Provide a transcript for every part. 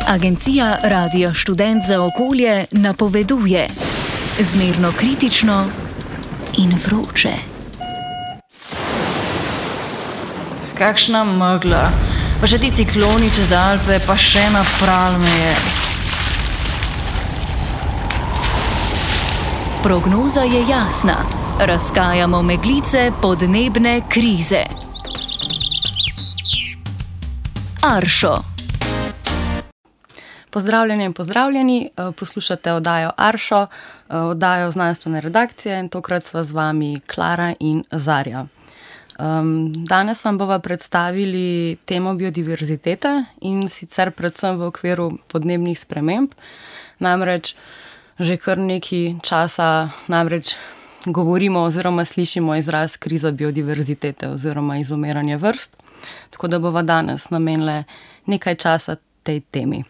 Agencija Radio Študent za okolje napoveduje zmerno kritično in vroče. Kakšna megla, pa še ti cikloni čez Alpe, pa še napral me je. Prognoza je jasna. Razkajamo meglice podnebne krize. Aršo. Pozdravljeni in pozdravljeni, poslušate oddajo Aršo, oddajo znanstvene redakcije in tokrat sva z vami Klara in Zarja. Danes vam bova predstavili temo biodiverzitete in sicer predvsem v okviru podnebnih sprememb. Namreč že kar nekaj časa govorimo oziroma slišimo izraz kriza biodiverzitete oziroma izumiranje vrst, tako da bova danes namenile nekaj časa tej temi.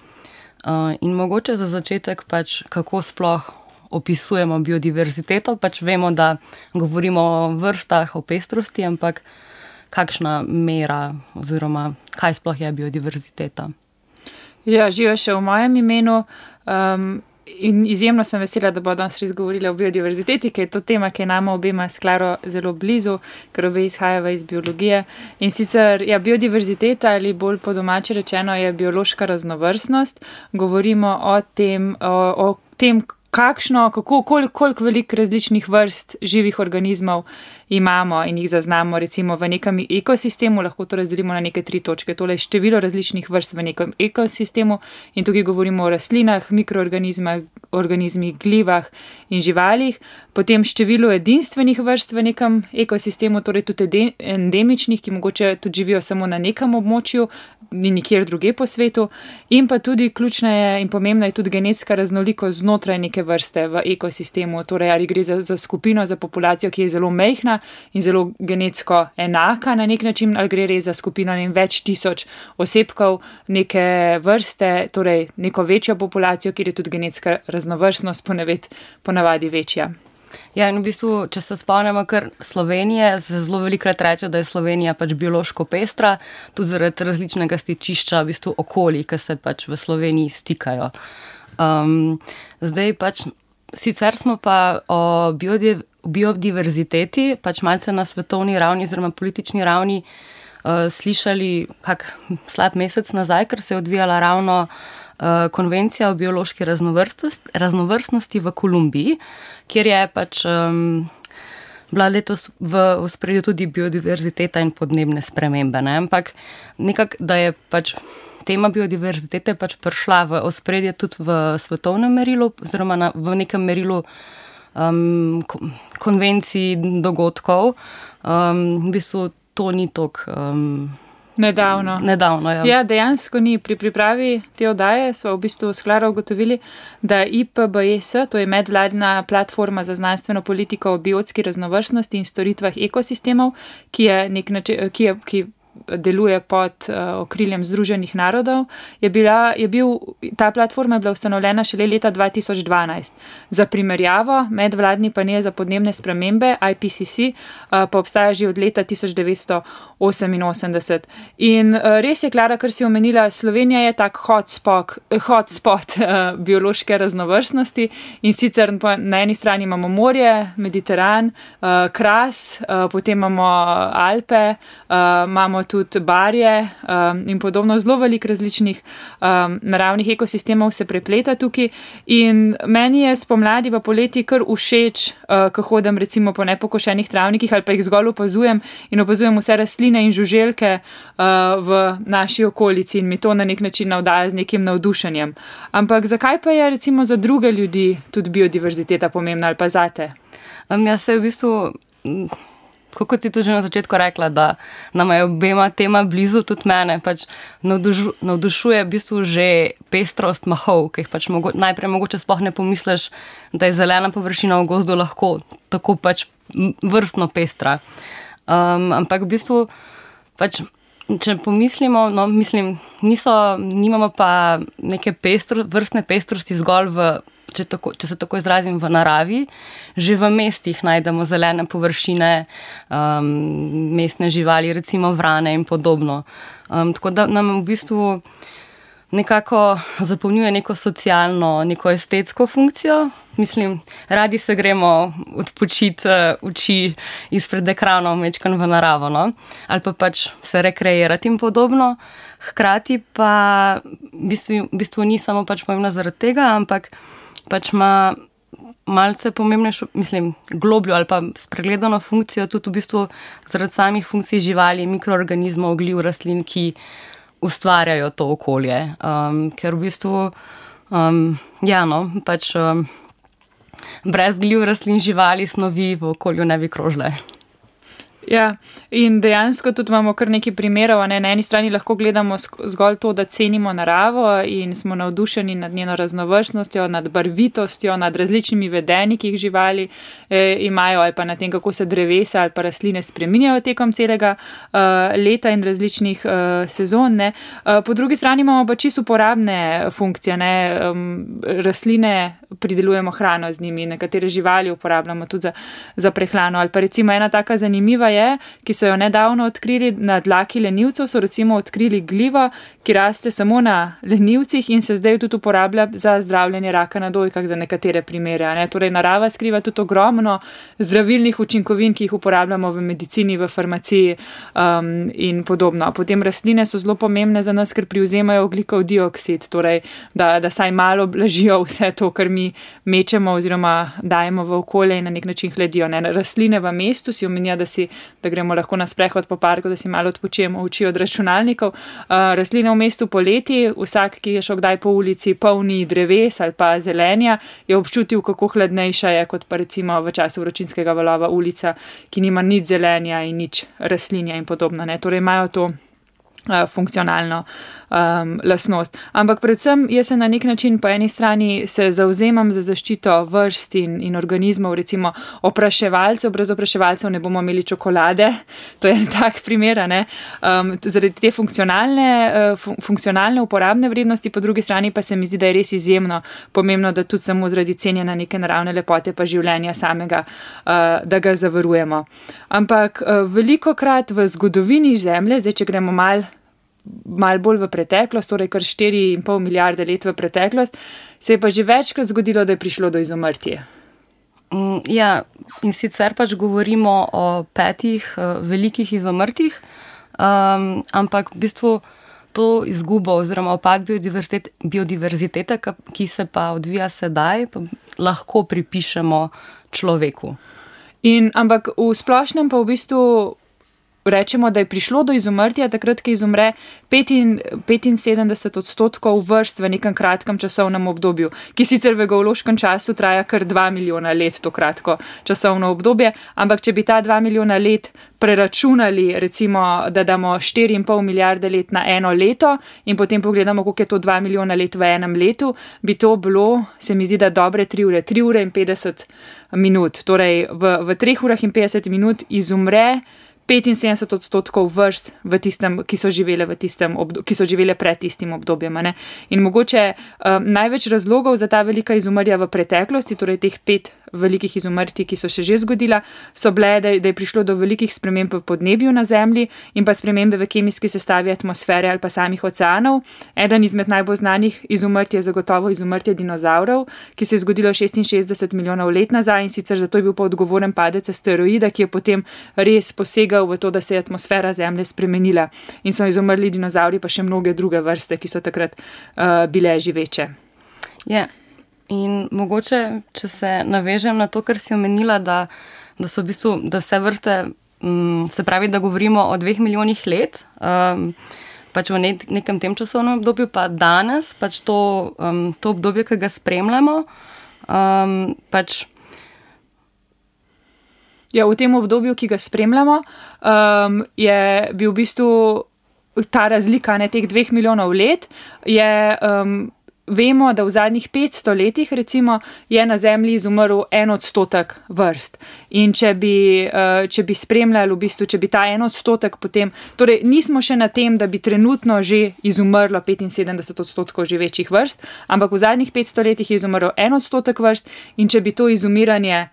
In mogoče za začetek kako sploh opisujemo biodiverziteto, vemo, da govorimo o vrstah, o pestrosti, ampak kakšna mera oziroma kaj sploh je biodiverziteta? Ja, živa še v mojem imenu in izjemno sem vesela, da bo danes res govorila o biodiverziteti, ker je to tema, ki je nama obema s Klaro zelo blizu, ker obe izhajava iz biologije. In sicer, biodiverziteta ali bolj po domače rečeno je biološka raznovrstnost. Govorimo o tem, koliko veliko različnih vrst živih organizmov imamo in jih zaznamo recimo v nekem ekosistemu, lahko to razdelimo na neke 3 točke. Tole je število različnih vrst v nekem ekosistemu in tukaj govorimo o rastlinah, mikroorganizmih, organizmih, glivah in živalih. Potem število edinstvenih vrst v nekem ekosistemu, torej tudi endemičnih, ki mogoče tudi živijo samo na nekem območju, ni nikjer druge po svetu. In pa tudi ključna je in pomembna je tudi genetska raznolikost znotraj neke vrste v ekosistemu, torej ali gre za skupino, za populacijo, ki je zelo majhna in zelo genetsko enaka na nek način, ali gre res za skupino več tisoč osebkov neke vrste, torej neko večjo populacijo, kjer je tudi genetska raznovrstnost ponavadi večja. Ja, in v bistvu, če se spomnimo kar Slovenije, se zelo velikokrat reče, da je Slovenija biološko pestra, tudi zaradi različnega stičišča v bistvu okolij, ki se v Sloveniji stikajo. Zdaj sicer smo pa o biodiverziteti malce na svetovni ravni oziroma politični ravni slišali slab mesec nazaj, ker se je odvijala ravno konvencija o biološki raznovrstnosti v Kolumbiji, kjer je bila letos v ospredju tudi biodiverziteta in podnebne spremembe. Ampak nekako, da je tema biodiverzitete prišla v ospredje tudi v svetovnem merilu oziroma v nekem merilu konvencij dogodkov. V bistvu to ni toliko Nedavno, ja. Ja, dejansko ni. Pri pripravi te oddaje smo v bistvu s Klaro ugotovili, da IPBES, to je medvladna platforma za znanstveno politiko o biotski raznovrstnosti in storitvah ekosistemov, ki deluje pod okriljem Združenih narodov, ta platforma je bila ustanovljena šele leta 2012. Za primerjavo, medvladni panel za podnebne spremembe, IPCC, pa obstaja že od leta 1988. In res je, Klara, kar si omenila, Slovenija je tak hotspot biološke raznovrstnosti in sicer na eni strani imamo morje, Mediteran, Kras, potem imamo Alpe, imamo tudi barje in podobno, zelo veliko različnih naravnih ekosistemov se prepleta tukaj in meni je spomladi v poleti kar všeč, ko hodim recimo po nepokošenih travnikih ali pa jih zgolj opazujem vse rastline in žuželke v naši okolici in mi to na nek način navdaja z nekim navdušenjem. Ampak zakaj pa je recimo za druge ljudi tudi biodiverziteta pomembna ali pa zate? Jaz se v bistvu, kot si tu že na začetku rekla, da nama je obema tema blizu, tudi mene navdušuje v bistvu že pestrost mahov, ki jih najprej mogoče sploh ne pomisliš, da je zelena površina v gozdu lahko tako vrstno pestra. Ampak v bistvu če pomislimo, nimamo pa neke vrstne pestrosti zgolj če se tako izrazim, v naravi. Že v mestih najdemo zelene površine, mestne živali, recimo vrane in podobno. Tako da nam v bistvu nekako zapolnjuje neko socialno, neko estetsko funkcijo. Mislim, radi se gremo odpočiti oči izpred ekranov, mečkan v naravo, no? Ali pa pač se rekreirati in podobno. Hkrati pa v bistvu ni samo pač pomembna zaradi tega, ampak pač ima malce pomembnejšo, mislim, globljo ali pa spregledano funkcijo tudi v bistvu zaradi samih funkcij živali, mikroorganizmov, gljiv, rastlin, ki ustvarjajo to okolje. Ker v bistvu, pač brez gljiv, rastlin, živali, snovi v okolju ne bi krožile. Ja, in dejansko tudi imamo kar nekaj primerov, ne? Na eni strani lahko gledamo zgolj to, da cenimo naravo in smo navdušeni nad njeno raznovrstnostjo, nad barvitostjo, nad različnimi vedenji, ki jih živali imajo, ali pa na tem, kako se drevesa ali pa rastline spreminjajo tekom celega leta in različnih sezon, ne? Po drugi strani imamo pa čisto uporabne funkcije, ne? Rastline pridelujemo hrano z njimi, nekatere živali uporabljamo tudi za prehrano, ali pa recimo ena taka zanimiva ki so jo nedavno odkrili na dlaki lenivcev, so recimo odkrili gljivo, ki raste samo na lenivcih in se zdaj tudi uporablja za zdravljenje raka na dojkah za nekatere primere. Ne? Torej, narava skriva tudi ogromno zdravilnih učinkovin, ki jih uporabljamo v medicini, v farmaciji in podobno. Potem rastline so zelo pomembne za nas, ker privzemajo ogljikov dioksid, torej, da saj malo blažijo vse to, kar mi mečemo oziroma dajemo v okolje in na nek način hledijo. Ne? Rastline v mestu si omenja, da gremo lahko na sprehod po parku, da si malo odpočijemo oči od računalnikov. Rastline v mestu poleti, vsak, ki je šel kdaj po ulici polni dreves ali pa zelenja, je občutil, kako hladnejša je, kot pa recimo v času vročinskega valova ulica, ki nima nič zelenja in nič rastlinja in podobno. Ne? Torej imajo to funkcionalno lastnost. Ampak predvsem jaz se na nek način po eni strani se zavzemam za zaščito vrst in organizmov, recimo opraševalcev, brez opraševalcev ne bomo imeli čokolade, to je tak primer, ne? Zaradi te funkcionalne uporabne vrednosti, po drugi strani pa se mi zdi, da je res izjemno pomembno, da tudi samo zaradi cenjena neke naravne lepote pa življenja samega, da ga zavarujemo. Ampak velikokrat v zgodovini Zemlje, zdaj če gremo malo bolj v preteklost, torej kar 4,5 milijarde let v preteklost, se je pa že večkrat zgodilo, da je prišlo do izumrtja. Ja, in sicer pač govorimo o 5 velikih izumrtjih, ampak v bistvu to izgubo oziroma upad biodiverzitete, ki se pa odvija sedaj, pa lahko pripišemo človeku. Ampak v splošnem pa v bistvu rečemo, da je prišlo do izumrtja takrat, ko izumre 75% vrst v nekem kratkem časovnem obdobju, ki sicer v geološkem času traja kar 2 milijona let, to kratko časovno obdobje, ampak če bi ta 2 milijona let preračunali, recimo, da damo 4,5 milijarde let na eno leto in potem pogledamo, koliko je to 2 milijona let v enem letu, bi to bilo, se mi zdi, da dobre 3 ure in 50 minut. Torej, v 3 urah in 50 minut izumre 75% vrst v tistem, ki so živele pred tistim obdobjem. Ne? In mogoče največ razlogov za ta velika izumrtja v preteklosti, torej teh 5 velikih izumrtij, ki so se že zgodila, so bile, da je prišlo do velikih sprememb v podnebju na Zemlji in pa spremembe v kemijski sestavi atmosfere ali pa samih oceanov. Eden izmed najbolj znanih izumrtij je zagotovo izumrtje dinozavrov, ki se je zgodilo 66 milijonov let nazaj in sicer zato je bil pa odgovoren padec asteroida, ki je potem res posegal v to, da se je atmosfera Zemlje spremenila in so izumrli dinozavri pa še mnoge druge vrste, ki so takrat bile živeče. Ja. In mogoče, če se navežem na to, kar si omenila, da so v bistvu, da vse vrste, se pravi, da govorimo o 2 milijonih let, pač v nekem tem časovnem obdobju, pa danes, pač to obdobje, ki ga spremljamo, pač. Ja, v tem obdobju, ki ga spremljamo, je bil v bistvu ta razlika, ne, teh 2 milijonov let, vemo, da v zadnjih 500 letih recimo je na Zemlji izumrl 1% vrst. In če bi spremljali v bistvu, če bi ta 1% potem, torej nismo še na tem, da bi trenutno že izumrlo 75% živečih vrst, ampak v zadnjih 500 letih je izumrl 1% vrst in če bi to izumiranje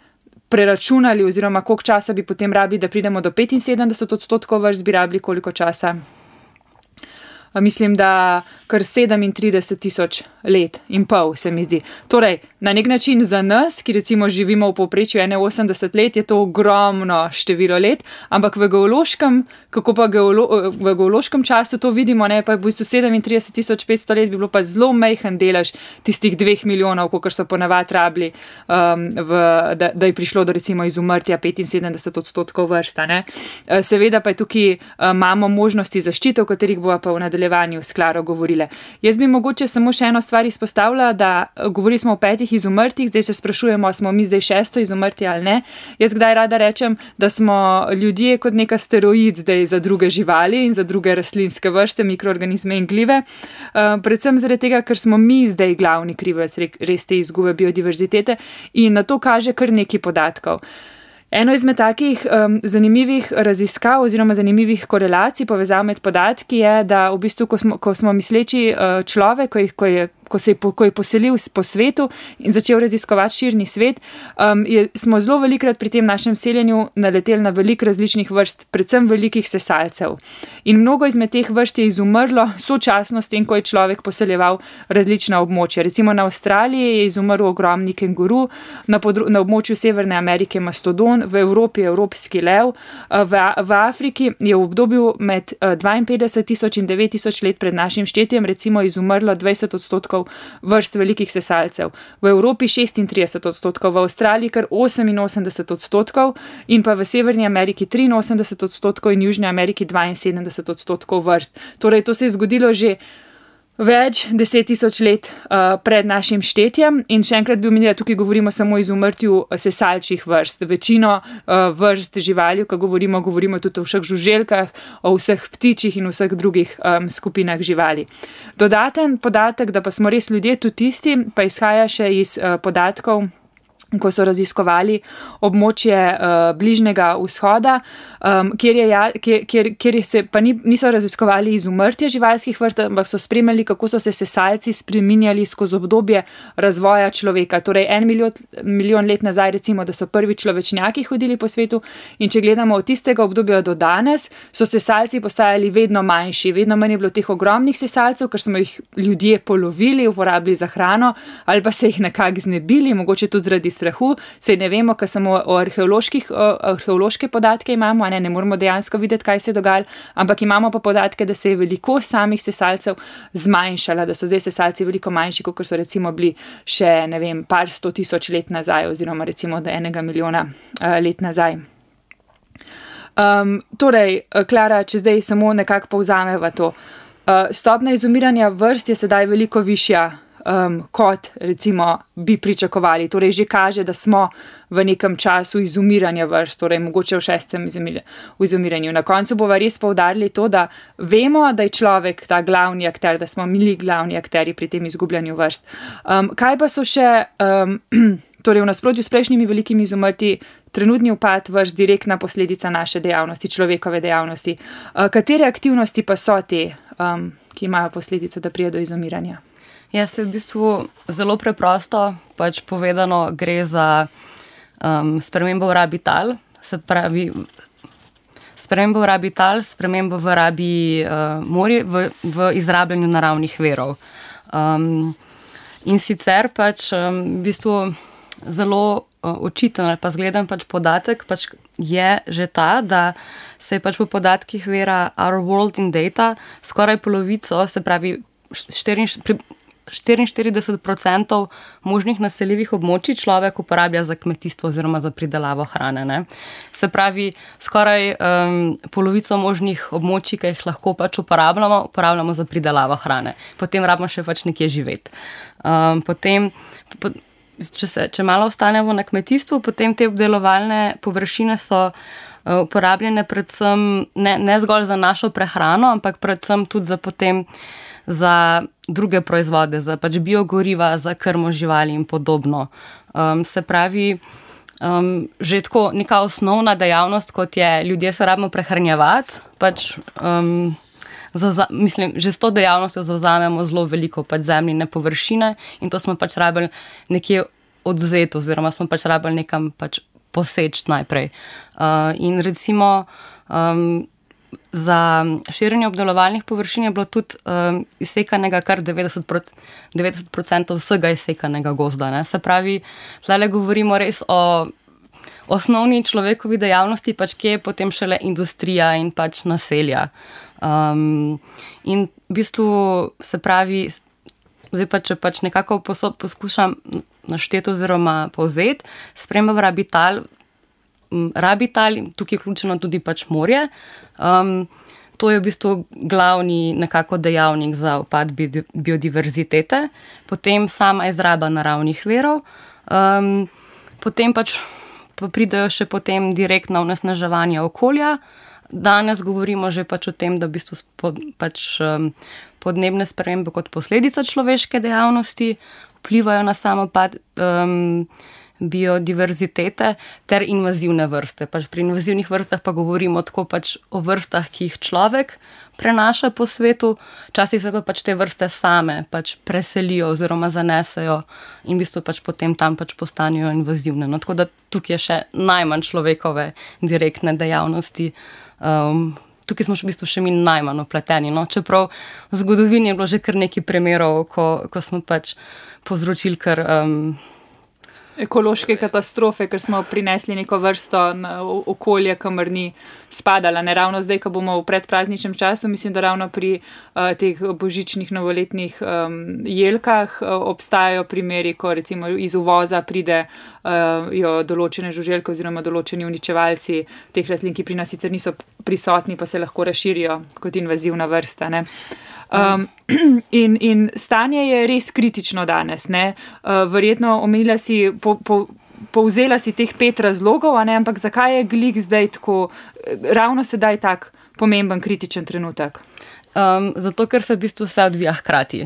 preračunali oziroma koliko časa bi potem rabili, da pridemo do 75% vrst, bi rabili koliko časa? mislim, da kar 37 000 let in pol, se mi zdi. Torej, na nek način za nas, ki recimo živimo v povprečju 81 let, je to ogromno število let, ampak v geološkem, v geološkem času to vidimo, ne, pa je v bistvu 37 500 let bi bilo pa zelo majhen delež tistih 2 milijonov, kolikor so ponavadi rabili, da je prišlo do recimo izumrtja 75% vrsta. Ne. Seveda pa je tukaj imamo možnosti zaščite, o katerih bova pa v nadaljevanju s Klaro govorile. Jaz bi mogoče samo še eno stvar izpostavila, da govorili smo o 5 izumrtih, zdaj se sprašujemo, smo mi zdaj 6. izumrtje ali ne. Jaz kdaj rada rečem, da smo ljudje kot neka steroid zdaj za druge živali in za druge rastlinske vrste, mikroorganizme in glive. Predvsem zaradi tega, ker smo mi zdaj glavni krivec res te izgube biodiverzitete in na to kaže kar nekaj podatkov. Eno izmed takih zanimivih raziskav oziroma zanimivih korelacij, povezav med podatki je, da v bistvu, ko smo misleči človek, ko je poselil po svetu in začel raziskovati širni svet, smo zelo velikrat pri tem našem seljenju naleteli na veliko različnih vrst, predvsem velikih sesalcev. In mnogo izmed teh vrst je izumrlo sočasno s tem, ko je človek poseljeval različna območja. Recimo na Avstraliji je izumrl ogromni kenguru, na območju Severne Amerike mastodon, v Evropi evropski lev, v Afriki je v obdobju med 52 000 in 9 000 let pred našim štetjem recimo izumrlo 20% vrst velikih sesalcev, v Evropi 36%, v Avstraliji kar 88% in pa v Severni Ameriki 83% in Južni Ameriki 72% vrst. Torej, to se je zgodilo že več 10 000 let pred našim štetjem in še enkrat bi omenila, tukaj govorimo samo o izumrtju sesalčjih vrst. Večino vrst živali, ko govorimo tudi o vseh žuželkah, o vseh ptičih in vseh drugih skupinah živali. Dodaten podatek, da pa smo res ljudje tudi tisti, pa izhaja še iz podatkov, ko so raziskovali območje Bližnjega vzhoda, kjer se pa niso raziskovali izumrtje živalskih vrst, ampak so spremljali, kako so se sesalci spreminjali skozi obdobje razvoja človeka. Torej 1 milijon let nazaj, recimo, da so prvi človečnjaki hodili po svetu in če gledamo od tistega obdobja do danes, so sesalci postajali vedno manjši, vedno manj je bilo teh ogromnih sesalcev, ker smo jih ljudje polovili, uporabili za hrano ali pa se jih nekako znebili, mogoče tudi zaradi strahu, saj ne vemo, ker samo o arheološke podatke imamo, ne moramo dejansko videti, kaj se je dogajalo, ampak imamo pa podatke, da se je velikost samih sesalcev zmanjšala, da so zdaj sesalci veliko manjši, kot so recimo bili še, ne vem, par 100 000 let nazaj oziroma recimo do 1 milijona let nazaj. Torej, Klara, če zdaj samo nekako povzameva to. Stopnja izumiranja vrst je sedaj veliko višja, kot recimo bi pričakovali. Torej že kaže, da smo v nekem času izumiranja vrst, torej mogoče v 6. izumiranju. Na koncu bova res poudarili to, da vemo, da je človek ta glavni akter, da smo mi glavni akteri pri tem izgubljanju vrst. Kaj pa so še, torej v nasprotju s prejšnjimi velikimi izumrti, trenutni upad vrst direktna posledica naše dejavnosti, človekove dejavnosti. Katere aktivnosti pa so te, ki imajo posledico, da prije do izumiranja? Ja, se v bistvu zelo preprosto pač povedano gre za spremembo v rabi tal, se pravi spremembo v rabi tal, spremembo v rabi morja, v izrabljanju naravnih virov. In sicer pač v bistvu zelo očiten ali pa zgleden pač podatek pač je že ta, da se je pač po podatkih vira Our World in Data skoraj polovico, se pravi 44% možnih naseljivih območij človek uporablja za kmetijstvo oziroma za pridelavo hrane. Ne? Se pravi, skoraj polovico možnih območij, ki jih lahko pač uporabljamo za pridelavo hrane. Potem rabimo še pač nekje živeti. Če malo ostanemo na kmetijstvu, potem te obdelovalne površine so uporabljene predvsem ne zgolj za našo prehrano, ampak predvsem tudi za druge proizvode, za pač biogoriva, za krmo živali in podobno. Se pravi, že tako neka osnovna dejavnost, kot je ljudje se rabimo prehranjevati, pač mislim, že s to dejavnostjo zavzamemo zelo veliko pač zemljine površine in to smo pač rabili nekje odvzeti oziroma smo pač rabili nekam pač poseči najprej. In recimo za širjenje obdelovalnih površin je bilo tudi izsekanega kar 90% vsega izsekanega gozda. Ne? Se pravi, zdaj govorimo res o osnovni človekovi dejavnosti, pač kje je potem šele industrija in pač naselja. In v bistvu se pravi, zdaj pa, če pač nekako poskušam našteti oziroma povzeti, sprememba Rabital, tukaj je vključeno tudi pač morje. To je v bistvu glavni nekako dejavnik za upad biodiverzitete, potem sama izraba naravnih virov, potem pač pridejo še potem direktno onesnaževanje okolja. Danes govorimo že pač o tem, da v bistvu pač podnebne spremembe kot posledica človeške dejavnosti vplivajo na sam upad biodiverzitete ter invazivne vrste. Pač pri invazivnih vrstah pa govorimo tako pač o vrstah, ki jih človek prenaša po svetu, včasih se pa pač te vrste same pač preselijo oziroma zanesejo in v bistvu pač potem tam pač postanejo invazivne. No, tako da tukaj je še najmanj človekove direktne dejavnosti. Tukaj smo v bistvu še mi najmanj vpleteni. No? Čeprav v zgodovini je bilo že kar nekaj primerov, ko smo pač povzročili kar ekološke katastrofe, ker smo prinesli neko vrsto na okolje, kamor ni spadala. Ne ravno zdaj, ko bomo v predprazničnem času, mislim, da ravno pri teh božičnih novoletnih jelkah obstajajo primeri, ko recimo iz uvoza pridejo določene žuželke oziroma določeni uničevalci teh rastlin, ki pri nas sicer niso prisotni, pa se lahko razširijo kot invazivna vrsta. Ne? In stanje je res kritično danes. Ne? Verjetno omenila si, povzela si teh 5 razlogov, a ne? Ampak zakaj je glih zdaj tako, ravno sedaj tak pomemben kritičen trenutek? Zato, ker se v bistvu vse odvija hkrati.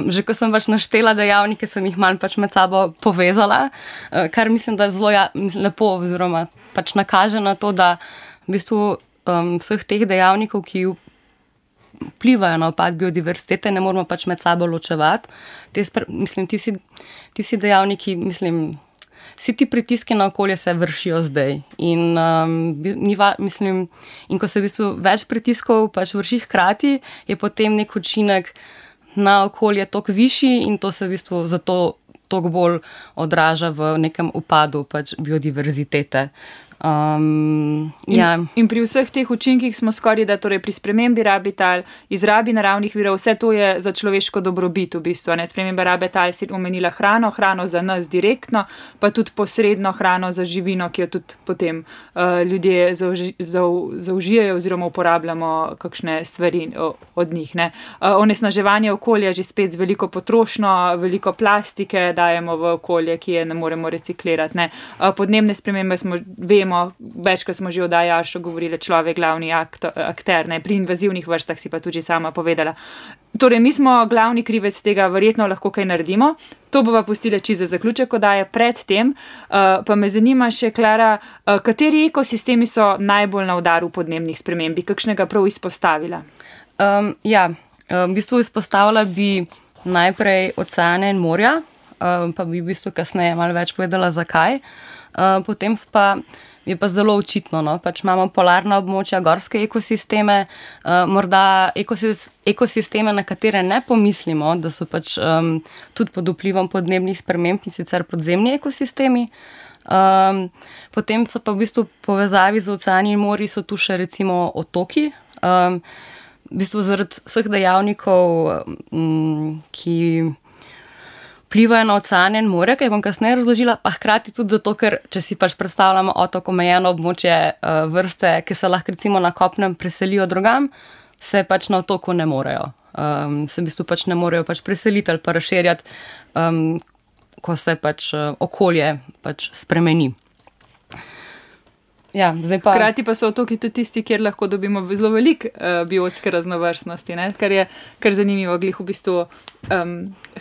Že ko sem pač naštela dejavnike, sem jih manj pač med sabo povezala, kar mislim, da zelo lepo oziroma pač nakaže na to, da v bistvu vseh teh dejavnikov, ki vplivajo na upad biodiverzitete, ne moramo pač med sabo ločevati. Ti vsi dejavniki, vsi ti pritiski na okolje se vršijo zdaj. In ko se v bistvu več pritiskov pač vrši hkrati, je potem nek učinek na okolje toliko višji in to se v bistvu zato toliko bolj odraža v nekem upadu pač biodiverzitete. In pri vseh teh učinkih smo skoraj, da torej pri spremembi Rabital, izrabi naravnih virov, vse to je za človeško dobrobit v bistvu. Ne? Sprememba Rabital si omenila hrano za nas direktno, pa tudi posredno hrano za živino, ki jo tudi potem ljudje zaužijajo oziroma uporabljamo kakšne stvari od njih. Ne? Onesnaževanje okolja že spet z veliko potrošnjo, veliko plastike dajemo v okolje, ki je ne moremo reciklirati. Ne? Podnebne spremembe vemo, večkrat smo že o oddaji Aršo govorili, človek glavni akter, ne? Pri invazivnih vrstah si pa tudi sama povedala. Torej, mi smo glavni krivec tega, verjetno lahko kaj naredimo. To bova pustila čisto za zaključek oddaje. Pred tem pa me zanima še, Klara, kateri ekosistemi so najbolj na udaru podnebnih sprememb, bi kakšnega prav izpostavila? V bistvu izpostavila bi najprej oceane in morja, pa bi v bistvu kasneje malo več povedala zakaj. Potem je pa zelo očitno, no? Pač imamo polarna območja, gorske ekosisteme, morda ekosisteme, na katere ne pomislimo, da so pač tudi pod vplivom podnebnih sprememb, in sicer podzemni ekosistemi. Potem so pa v bistvu povezavi z oceani in morji so tu še recimo otoki, v bistvu zaradi vseh dejavnikov, ki vplivajo na oceane in morje, kaj bom kasneje razložila, pa hkrati tudi zato, ker če si pač predstavljamo otok, omejeno območje vrste, ki se lahko recimo na kopnem preselijo drugam, se pač na otoku ne morejo. Se v bistvu pač ne morejo pač preseliti ali pa razširjati, ko se pač okolje pač spremeni. Hkrati pa so otoki tudi tisti, kjer lahko dobimo zelo veliko biotske raznovrstnosti, ne? Kar je kar zanimivo, glih v bistvu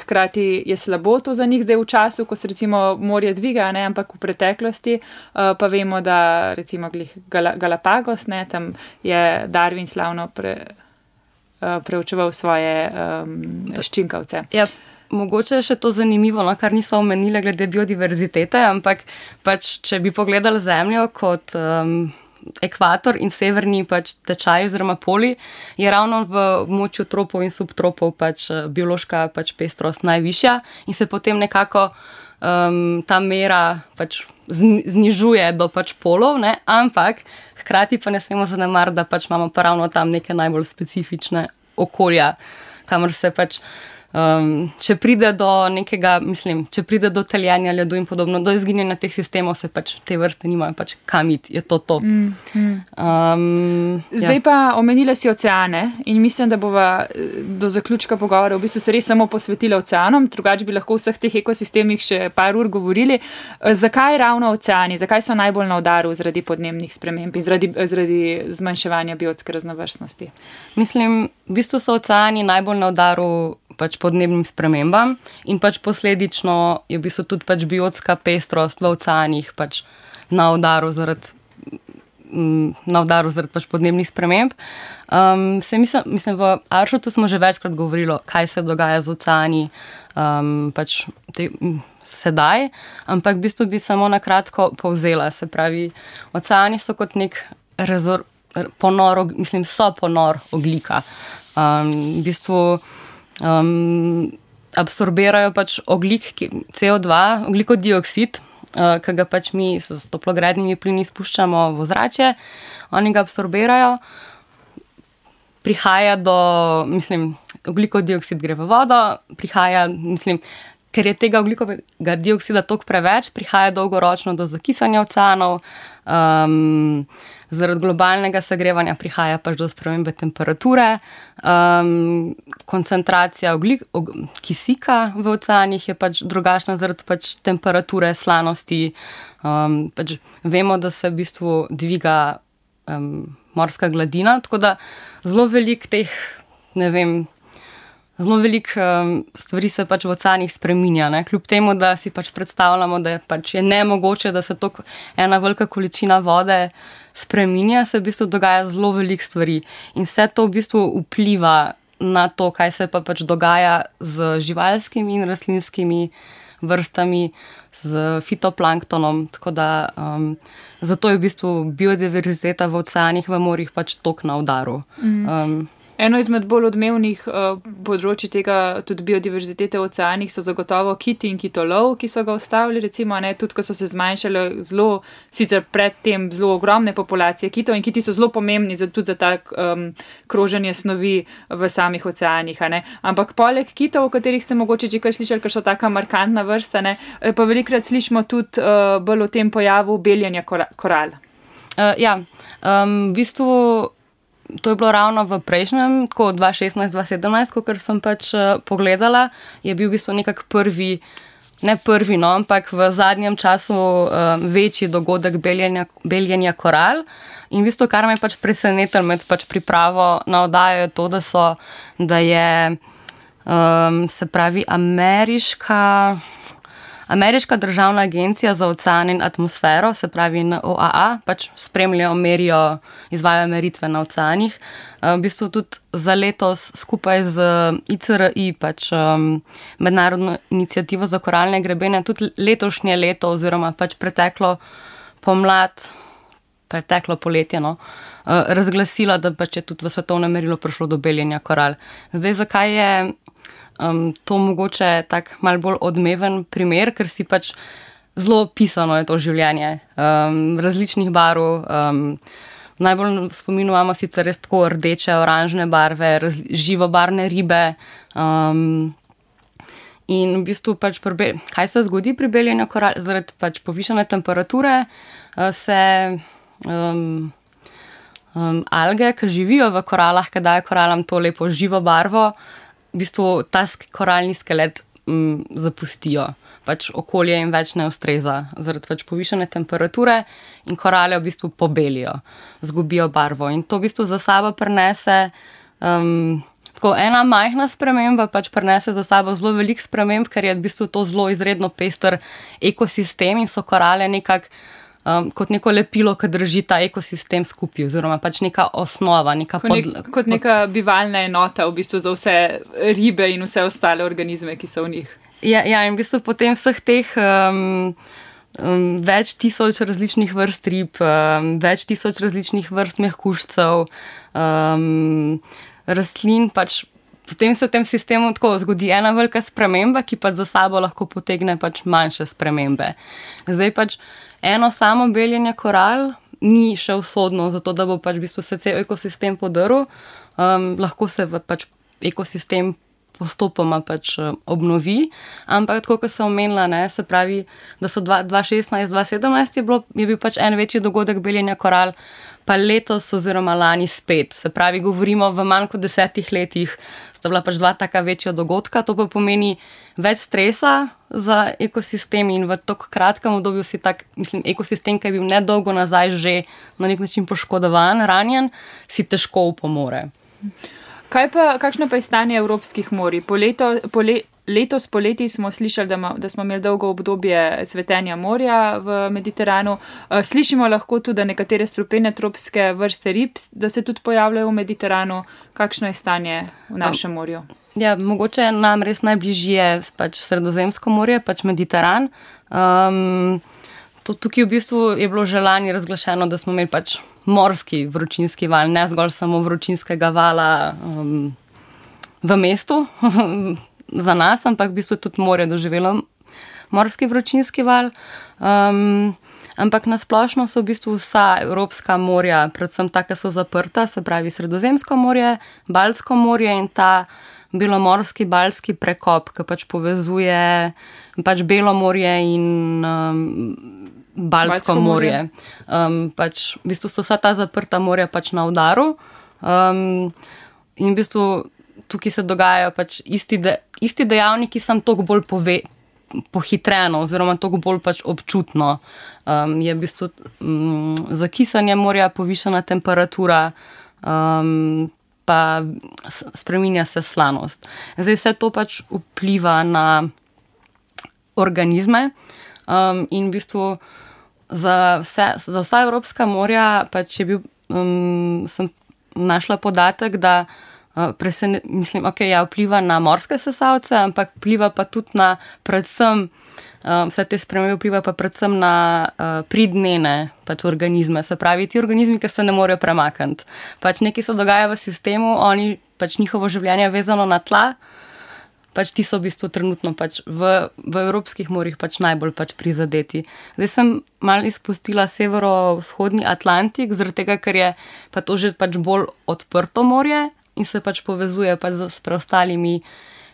hkrati je slabo to za njih zdaj v času, ko se recimo morje dviga, ne? Ampak v preteklosti pa vemo, da recimo glih Galapagos, ne? Tam je Darwin slavno preučeval svoje ščinkavce. Ja. Mogoče je še to zanimivo, no, kar nismo omenili glede biodiverzitete, ampak pač, če bi pogledali Zemljo kot ekvator in severni pač tečaj oziroma poli, je ravno v območju tropov in subtropov pač biološka pač pestrost najvišja in se potem nekako ta mera pač znižuje do pač polov, ne? Ampak hkrati pa ne smemo zanemariti, da pač imamo pa ravno tam neke najbolj specifične okolja, kamor se pač če pride do nekega, če pride do taljenja ledu in podobno, do izginjanja teh sistemov, se pač te vrste nimajo pač kam iti, je to. Zdaj pa omenila si oceane in mislim, da bova do zaključka pogovora v bistvu se res samo posvetila oceanom, drugače bi lahko v vseh teh ekosistemih še par ur govorili. Zakaj ravno oceani, zakaj so najbolj na udaru zaradi podnebnih sprememb in zaradi zmanjševanja biotske raznovrstnosti? Mislim, v bistvu so oceani najbolj na udaru pač podnebnim spremembam in pač posledično je v bistvu tudi pač biotska pestrost v oceanih pač na udaru zaradi pač podnebnih sprememb. Mislim, v Aršotu smo že večkrat govorili, kaj se dogaja z oceani pač sedaj, ampak v bistvu bi samo na kratko povzela. Se pravi, oceani so kot nek ponor ogljika. V bistvu absorbirajo pač ogljik, CO2, ogljikov dioksid, ki ga pač mi s toplogrednimi plini spuščamo v ozračje. Oni ga absorbirajo, prihaja do, ogljikov dioksid gre v vodo, prihaja, ker je tega ogljikovega dioksida toliko preveč, prihaja dolgoročno do zakisanja oceanov, zaradi globalnega segrevanja prihaja pač do spremembe temperature, koncentracija kisika v oceanih je pač drugačna zaradi pač temperature, slanosti. Pač vemo, da se v bistvu dviga morska gladina, tako da zelo veliko teh, zelo veliko stvari se pač v oceanih spreminja, ne? Kljub temu, da si pač predstavljamo, da pač je nemogoče, da se to ena velika količina vode spreminja, se v bistvu dogaja zelo veliko stvari. In vse to v bistvu vpliva na to, kaj se pa pač dogaja z živalskimi in rastlinskimi vrstami, z fitoplanktonom, tako da zato je v bistvu biodiverziteta v oceanih, v morjih pač toliko na udaru. Eno izmed bolj odmevnih področji tega tudi biodiverzitete v oceanih so zagotovo kiti in kitolov, ki so ga ustavili, recimo, tudi ko so se zmanjšale zelo, sicer predtem zelo ogromne populacije kitov in kiti so zelo pomembni tudi za tak kroženje snovi v samih oceanih, Ampak poleg kitov, o katerih ste mogoče že kar slišali, ker so taka markantna vrsta, pa velikokrat slišimo tudi bolj o tem pojavu beljenja koral. V bistvu to je bilo ravno v prejšnjem, tako 2016-2017, kot sem pač pogledala, je bil v bistvu nekak ampak v zadnjem času večji dogodek beljenja koral. In v bistvu, kar me pač presenetilo med pač pripravo na oddajo, je to, da je se pravi Ameriška državna agencija za ocean in atmosfero, se pravi NOAA, pač spremljajo, merijo, izvajajo meritve na oceanih. V bistvu tudi za letos skupaj z ICRI, pač mednarodno inicijativo za koralne grebene, tudi letošnje leto oziroma pač preteklo poletje, razglasila, da pač je tudi v svetovnem merilu prišlo do beljenja koral. Zdaj, zakaj je to mogoče tak malo bolj odmeven primer, ker si pač zelo pisano je to življenje, različnih barv, najbolj v spominu imamo sicer res tako rdeče, oranžne barve, živobarvne ribe, in v bistvu pač kaj se zgodi pri beljenju koral? Zaradi pač povišane temperature se alge, ki živijo v koralah, ki dajo koralam to lepo živo barvo, v bistvu ta koralni skelet zapustijo. Pač okolje jim več ne ustreza zaradi pač povišane temperature in korale v bistvu pobelijo, zgubijo barvo. In to v bistvu za sabo prinese tako ena majhna sprememba, pač prinese za sabo zelo veliko sprememb, ker je v bistvu to zelo izredno pester ekosistem in so korale nekako kot neko lepilo, ki drži ta ekosistem skupaj, oziroma pač neka osnova, kot neka bivalna enota v bistvu za vse ribe in vse ostale organizme, ki so v njih. Ja, in v bistvu potem vseh teh več tisoč različnih vrst rib, več tisoč različnih vrst mehkužcev, rastlin, pač potem se v tem sistemu tako zgodi ena velika sprememba, ki pač za sabo lahko potegne pač manjše spremembe. Zdaj pač eno samo beljenje koral ni še usodno, zato da bo pač v bistvu se cel ekosistem podrl, lahko se pač ekosistem postopoma pač obnovi, ampak tako, kot sem omenila, ne, se pravi, da so 2016-2017 je bil pač en večji dogodek beljenja koral, pa letos oziroma lani spet. Se pravi, govorimo v manj kot 10 letih sta bila pač 2 taka večja dogodka, to pa pomeni več stresa za ekosistem in v tako kratkem obdobju si tak, mislim, ekosistem, ki je bil nedolgo nazaj že na nek način poškodovan, ranjen, si težko upomore. Kakšno pa je stanje evropskih morij? Letos poleti smo slišali, da smo imeli dolgo obdobje cvetenja morja v Mediteranu. Slišimo lahko tudi, da nekatere strupene tropske vrste rib, da se tudi pojavljajo v Mediteranu. Kakšno je stanje v našem morju? Ja, mogoče nam res najbližje je pač Sredozemsko morje, pač Mediteran. Tukaj v bistvu je bilo že lani razglašeno, da smo imeli pač morski vročinski val, ne zgolj samo vročinskega vala v mestu za nas, ampak v bistvu tudi morje doživelo morski vročinski val. Ampak nasplošno so v bistvu vsa evropska morja, predvsem ta, ki so zaprta, se pravi Sredozemsko morje, Baltsko morje in ta belomorski baltski prekop, ki pač povezuje pač Belo morje in Baltsko morje. Pač v bistvu so vsa ta zaprta morja pač na udaru. In v bistvu tukaj se dogajajo pač isti dejavniki, samo toliko bolj pohitreno oziroma toliko bolj pač občutno. Je v bistvu zakisanje morja, povišana temperatura, pa spreminja se slanost. Zdaj vse to pač vpliva na organizme in v bistvu za vsa evropska morja pač je bil, sem našla podatek, da vpliva na morske sesalce, ampak vpliva pa tudi na predvsem, vse te spremembe vpliva pa predvsem na pridnene pač organizme, se pravi ti organizmi, ki se ne morejo premakniti. Pač nekaj se dogaja v sistemu, oni pač njihovo življenje je vezano na tla, pač ti so v bistvu trenutno pač v evropskih morjih pač najbolj pač prizadeti. Zdaj sem malo izpustila severovzhodni Atlantik, zaradi tega, ker je pa to že pač bolj odprto morje in se pač povezuje pač s preostalimi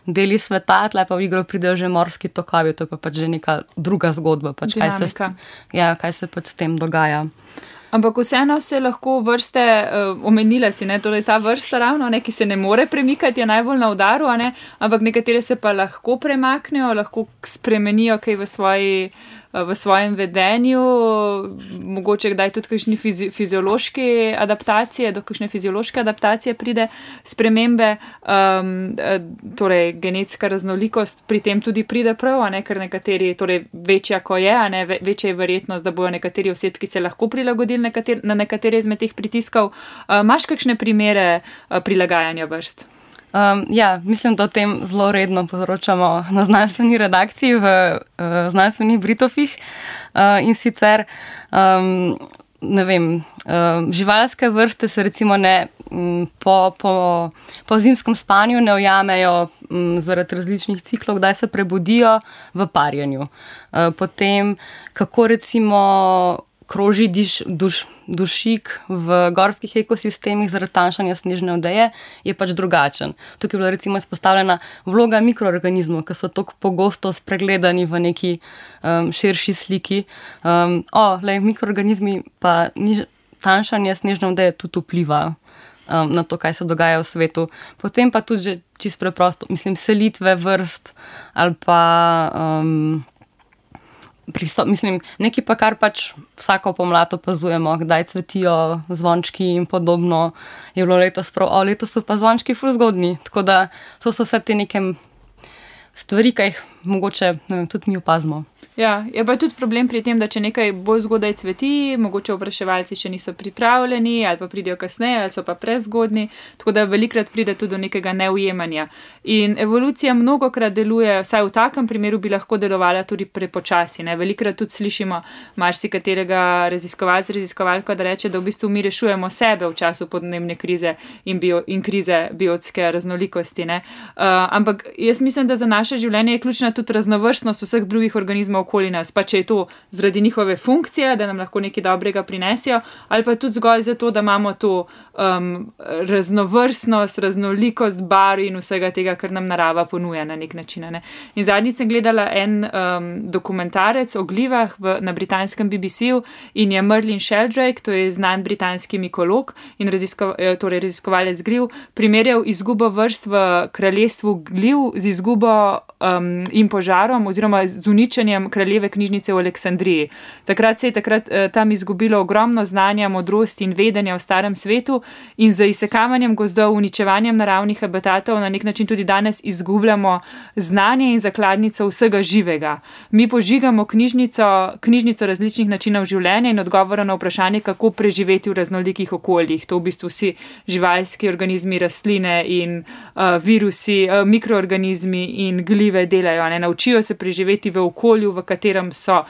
deli sveta, tle pa v igro pridejo že morski tokovi, to je pa pač že neka druga zgodba, pač kaj se pač s tem dogaja. Ampak vseeno se lahko vrste, omenila si, ne, torej ta vrsta ravno, ne, ki se ne more premikati, je najbolj na udaru, ne, ampak nekatere se pa lahko premaknejo, lahko spremenijo kaj v svojem vedenju, mogoče kdaj tudi kakšne fiziološke adaptacije, do kakšne fiziološke adaptacije pride spremembe, torej genetska raznolikost pri tem tudi pride prav, ne, ker nekateri, torej večja ko je, ne, večja je verjetnost, da bojo nekateri osebki se lahko prilagodili na nekatere izmed teh pritiskov. Imaš kakšne primere prilagajanja vrst? Ja, mislim, da o tem zelo redno poročamo na znanstveni redakciji v znanstvenih Britofih in sicer, ne vem, živalske vrste se recimo ne po zimskem spanju ne ujamejo zaradi različnih ciklov, kdaj se prebudijo v parjenju. Potem, kako recimo kroži dušik v gorskih ekosistemih zaradi tanjšanja snežne odeje, je pač drugačen. Tukaj je bila recimo izpostavljena vloga mikroorganizmov, ki so tako pogosto spregledani v neki širši sliki. Mikroorganizmi pa tanjšanje snežne odeje tudi vpliva na to, kaj se dogaja v svetu. Potem pa tudi že čisto preprosto, mislim, selitve vrst ali pa nekaj pa, kar pač vsako pomlad opazujemo, kdaj cvetijo zvončki in podobno. Je bilo letos letos so pa zvončki ful zgodnji, tako da to so vse te neke stvari, ki jih mogoče, ne vem, tudi mi opazimo. Ja, je pa tudi problem pri tem, da če nekaj bolj zgodaj cveti, mogoče opraševalci še niso pripravljeni ali pa pridejo kasneje ali so pa prezgodni, tako da velikrat pride tudi do nekega neujemanja. In evolucija mnogokrat deluje, vsaj v takem primeru bi lahko delovala tudi prepočasi. Velikrat tudi slišimo marsikaterega raziskovalko, da reče, da v bistvu mi rešujemo sebe v času podnebne krize in krize biotske raznolikosti. Ampak jaz mislim, da za naše življenje je ključna tudi raznovrstnost vseh drugih organizmov okoli nas, pa če je to zaradi njihove funkcije, da nam lahko nekaj dobrega prinesijo, ali pa tudi zgolj zato, da imamo to raznovrstnost, raznolikost barv in vsega tega, kar nam narava ponuja na nek način. In zadnjič sem gledala en dokumentarec o glivah na britanskem BBC-u in je Merlin Sheldrake, to je znan britanski mikolog in raziskovalec gliv, primerjal izgubo vrst v kraljestvu gliv z izgubo in požarom oziroma z uničenjem kraljeve knjižnice v Aleksandriji. Takrat se je tam izgubilo ogromno znanja, modrosti in vedenja o starem svetu in z izsekavanjem gozdov, uničevanjem naravnih habitatov na nek način tudi danes izgubljamo znanje in zakladnico vsega živega. Mi požigamo knjižnico različnih načinov življenja in odgovora na vprašanje, kako preživeti v raznolikih okoljih. To v bistvu vsi živalski organizmi, rastline in virusi, mikroorganizmi in glive delajo. Naučijo se preživeti v okolju, v katerem so.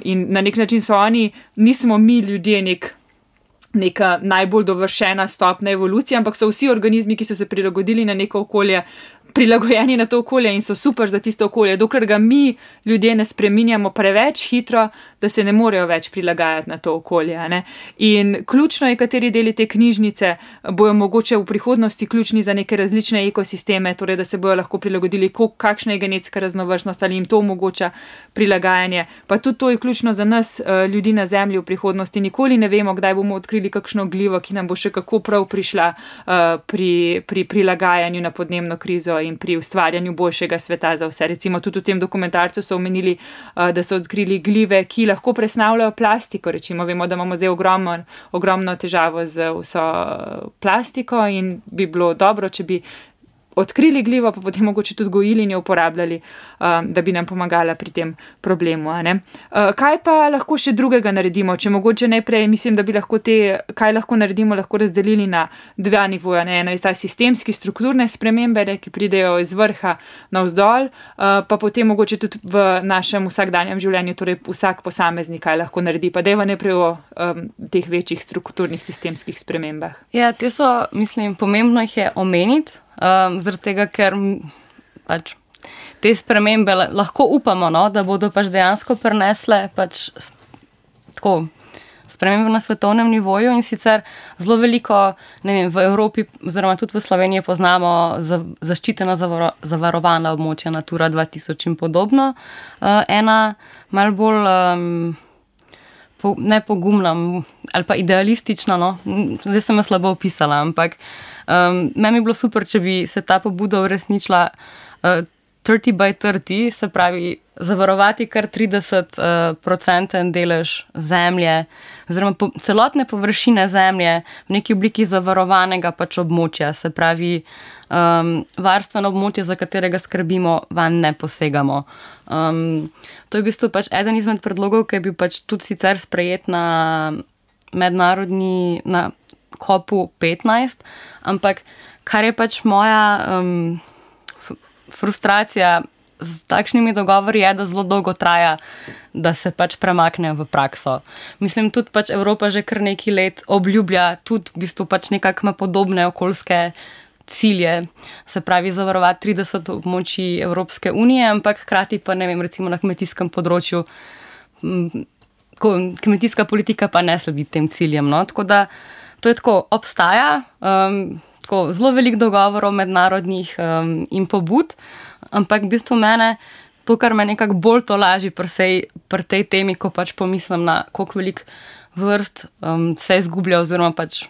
In na nek način so oni, nismo mi ljudje neka najbolj dovršena stopnja evolucije, ampak so vsi organizmi, ki so se prilagodili na neko okolje, prilagojeni na to okolje in so super za tisto okolje, dokler ga mi ljudje ne spreminjamo preveč hitro, da se ne morejo več prilagajati na to okolje. In ključno je, kateri deli te knjižnice bojo mogoče v prihodnosti ključni za neke različne ekosisteme, torej da se bojo lahko prilagodili, kakšna je genetska raznovrstnost ali jim to omogoča prilagajanje. Pa tudi to je ključno za nas, ljudi na Zemlji v prihodnosti. Nikoli ne vemo, kdaj bomo odkrili kakšno glivo, ki nam bo še kako prav prišla pri prilagajanju na podnebno krizo in pri ustvarjanju boljšega sveta za vse. Recimo tudi v tem dokumentarcu so omenili, da so odkrili glive, ki lahko presnavljajo plastiko. Recimo vemo, da imamo zdaj ogromno težavo z vso plastiko in bi bilo dobro, če bi odkrili glivo, pa potem mogoče tudi gojili in jo uporabljali, da bi nam pomagala pri tem problemu. Kaj pa lahko še drugega naredimo? Če mogoče najprej, mislim, da bi lahko kaj lahko naredimo, lahko razdelili na dva nivoja. Eno je ta sistemski, strukturne spremembe, ki pridejo iz vrha navzdol, pa potem mogoče tudi v našem vsakdanjem življenju, torej vsak posameznik kaj lahko naredi. Pa dajva najprej o teh večjih strukturnih sistemskih spremembah. Ja, te so, mislim, pomembno jih je omeniti, zaradi tega, ker pač te spremembe lahko upamo, da bodo pač dejansko prinesle pač tako spremembe na svetovnem nivoju in sicer zelo veliko, ne vem, v Evropi oziroma tudi v Sloveniji poznamo zaščitena zavarovana območja Natura 2000 in podobno. Ena malo bolj nepogumna ali pa idealistična, zdaj sem jo slabo opisala, ampak meni bi bilo super, če bi se ta pobuda uresničila 30 by 30, se pravi zavarovati kar 30% delež zemlje oziroma celotne površine zemlje v neki obliki zavarovanega pač območja, se pravi varstveno območje, za katerega skrbimo, vanj ne posegamo. To je v bistvu pač eden izmed predlogov, ki je bil pač tudi sicer sprejet na COP 15, ampak kar je pač moja frustracija z takšnimi dogovori je, da zelo dolgo traja, da se pač premaknejo v prakso. Mislim, tudi pač Evropa že kar nekaj let obljublja tudi v bistvu pač nekako podobne okoljske cilje, se pravi zavarovati 30 območij Evropske unije, ampak hkrati pa, ne vem, recimo na kmetijskem področju kmetijska politika pa ne sledi tem ciljem. Tako da to je tako, obstaja zelo veliko dogovorov mednarodnih in pobud, ampak v bistvu mene to, kar me nekako bolj tolaži pri tej temi, ko pač pomislim na koliko veliko vrst se izgublja oziroma pač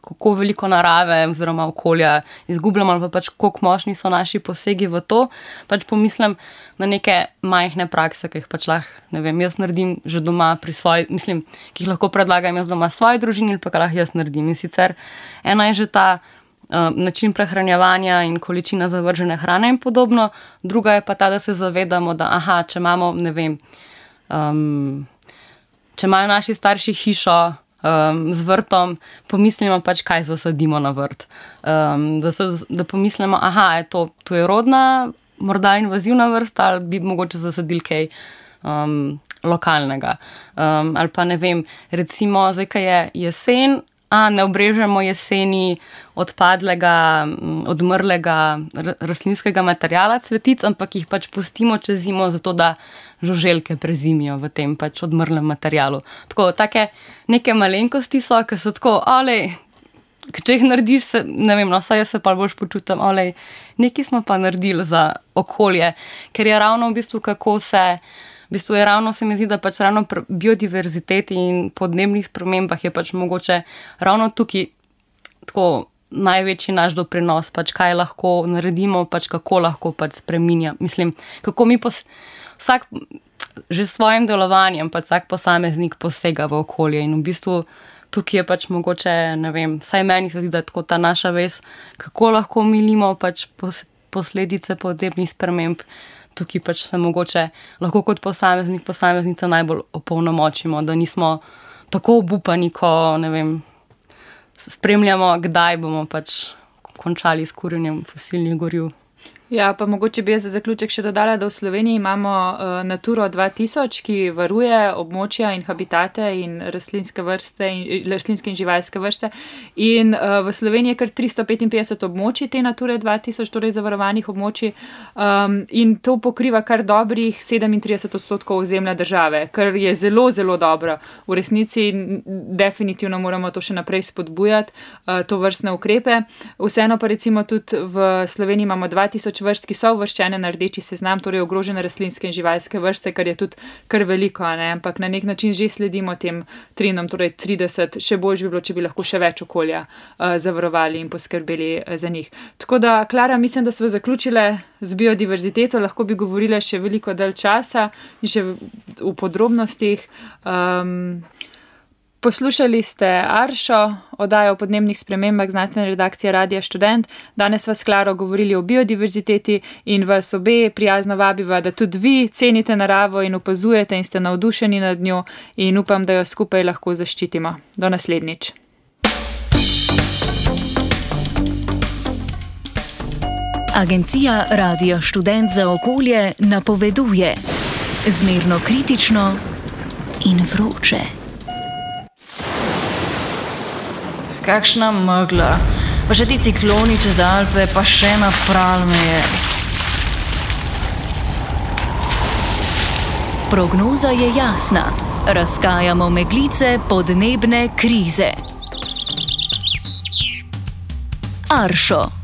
kako veliko narave oziroma okolja izgubljamo ali pa pač koliko močni so naši posegi v to, pač pomislim na neke majhne prakse, ki jih pač lahko, ne vem, jaz naredim že doma pri ki jih lahko predlagam jaz doma svoji družini ali pa kaj lahko jaz naredim. In sicer ena je že ta način prehranjevanja in količina zavržene hrane in podobno. Druga je pa ta, da se zavedamo, da če imamo, ne vem, če imajo naši starši hišo z vrtom, pomislimo pač, kaj zasadimo na vrt. Da pomislimo, to je rodna, morda invazivna vrsta, ali bi mogoče zasadili kaj lokalnega. Ali pa ne vem, recimo, zdaj, kaj je jesen, ne obrežemo jeseni odpadlega, odmrlega rastlinskega materiala cvetic, ampak jih pač pustimo čez zimo, zato da žuželke prezimijo v tem pač odmrlem materialu. Tako, take neke malenkosti so, ki so tako, če jih narediš, ne vem, saj jaz se pa boljš počutim, nekaj smo pa naredili za okolje, ker je ravno v bistvu, je ravno, se mi zdi, da pač ravno biodiverziteti in podnebnih spremembah je pač mogoče ravno tukaj tako največji naš doprinos, pač kaj lahko naredimo, pač kako lahko pač spreminja. Mislim, kako mi vsak že s svojim delovanjem, pač vsak posameznik posega v okolje in v bistvu tukaj je pač mogoče, ne vem, vsaj meni se zdi, da je tako ta naša vez, kako lahko milimo pač posledice podnebnih sprememb. Tukaj pač se mogoče lahko kot posameznica najbolj opolnomočimo, da nismo tako obupani, ko, ne vem, spremljamo, kdaj bomo pač končali s kurjenjem fosilnih goriv. Ja, pa mogoče bi jaz za zaključek še dodala, da v Sloveniji imamo Naturo 2000, ki varuje območja in habitate in rastlinske in živalske vrste. In v Sloveniji je kar 355 območij te Nature 2000, torej zavarovanih območij, in to pokriva kar dobrih 37% ozemlja države, kar je zelo, zelo dobro. V resnici definitivno moramo to še naprej spodbujati, to vrstne ukrepe. Vseeno pa recimo tudi v Sloveniji imamo 2000 vrst, ki so uvrščene na rdeči seznam, torej ogrožene rastlinske in živalske vrste, kar je tudi kar veliko, ampak na nek način že sledimo tem trendom, torej 30, še bolj bi bilo, če bi lahko še več okolja zavarovali in poskrbeli za njih. Tako da, Klara, mislim, da smo zaključile z biodiverziteto, lahko bi govorile še veliko dalj časa in še v podrobnostih. Poslušali ste Aršo, oddajo o podnebnih spremembah znanstvene redakcije Radia Študent. Danes sva s Klaro govorili o biodiverziteti in vas obe prijazno vabiva, da tudi vi cenite naravo in opazujete in ste navdušeni nad njo in upam, da jo skupaj lahko zaščitimo. Do naslednjič. Agencija Radio Študent za okolje napoveduje zmerno kritično in vroče. Kakšna megla, pa še ti cikloni čez Alpe, pa še napral me je. Prognoza je jasna. Razkajamo meglice podnebne krize. Aršo.